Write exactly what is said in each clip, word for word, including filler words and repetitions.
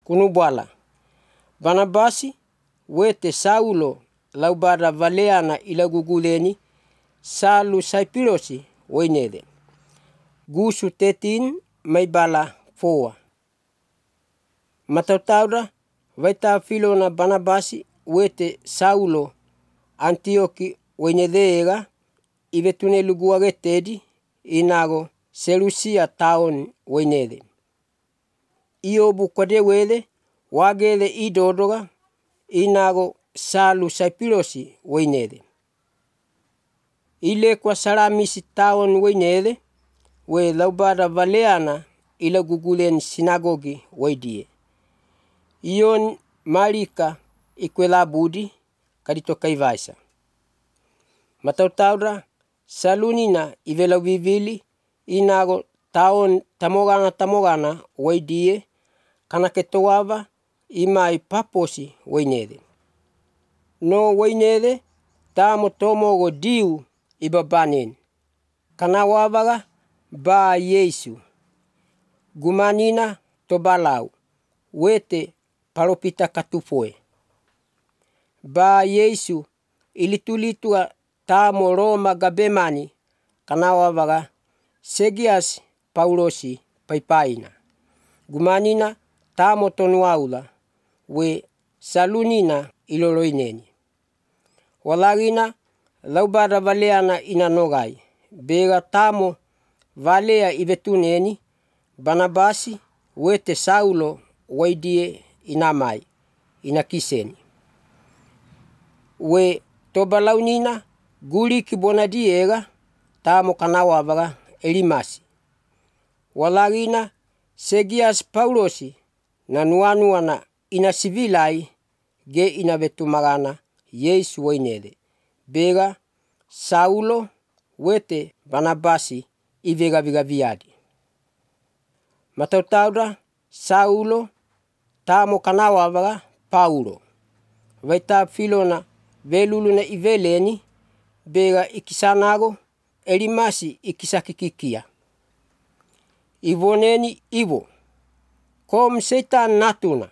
kunubala. Barnabasi wete Saulo laubada valeana ila guguleni salu Saipirosi wainede. Gusu tetin may bala foa. Matautaura vaita filo na Barnabasi wete Saulo Antioki wainedega ivetune luguagetedi inago Selusia taon wainede. Iobu kwade wede wagele idodoga inago salu Saipirosi wainede. Ile kwa salamisi taon wainede we laubada valeana ila gugulen sinagogi waidie. Ion malika ikwela budi kadito kaivaisa. Matautaura salunina ivela vivili inago taon tamogana tamogana waidie kana ketowava imai paposi wainede. No wainede tamo tomogo diu ibabanin. Kana wavaga ba Yesu. Gumanina tobalau wete paropita katufoe. Ba Yesu ilitulitua tamo Roma gabemani kana wavaga Segias Paulosi paipaina. Gumanina tamo tonuaula we salunina iloloineni. Walagina laubada valeana inanogai. Bega tamo valea ivetuneni Barnabasi wete Saulo waidie inamai inakiseni. We tobalaunina guli kibonadiega tamo kanawavaga Elimasi. Walagina Segias Paulosi na nuanuana ina sivilai ge inavetumagana Yesu wainede. Bega Saulo wete Barnabasi ivega viga viadi. Matautaura Saulo tamo kanawavaga Paulo. Vaita filona veluluna iveleni bega ikisanago Elimasi ikisakikikia. Ivoneni ivo. Kom setan natuna.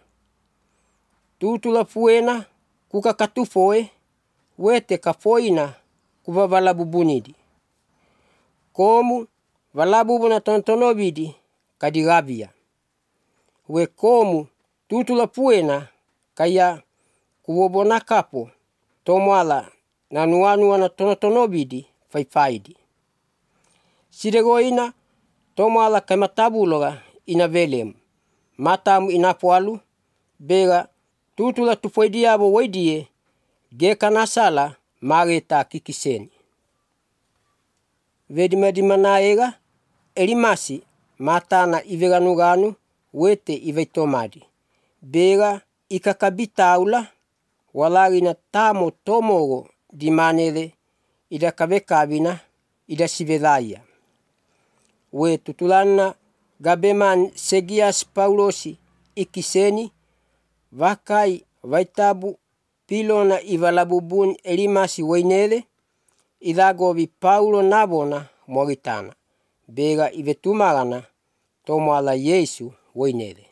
Tutula fuena kuka katufoe wete kafoina kuva valabubunidi. Komu valabubuna tontonobidi kadigavia. We komu tutula fuena kaya kuwobona kapo tomwala na nuanuana tonotonobidi faifaidi. Sidegoina tomwala kaimatabuloga inavelemu. Matamu inapualu bega tutula tufoidiabo waidie geka nasala mageta kikiseni. Vedimedimanaega Elimasi matana iveganuganu wete iveitomadi. Bega ikakabitaula walagina tamo tomogo dimanele ida kabekabina ida sivedaya. We tutulana gabeman Segias Paulosi ikiseni vakai vaitabu pilona ivalabubun Elimasi wainele idagovi Paulo nabona mogitana. Bega ivetumagana tomwala Yesu wainele.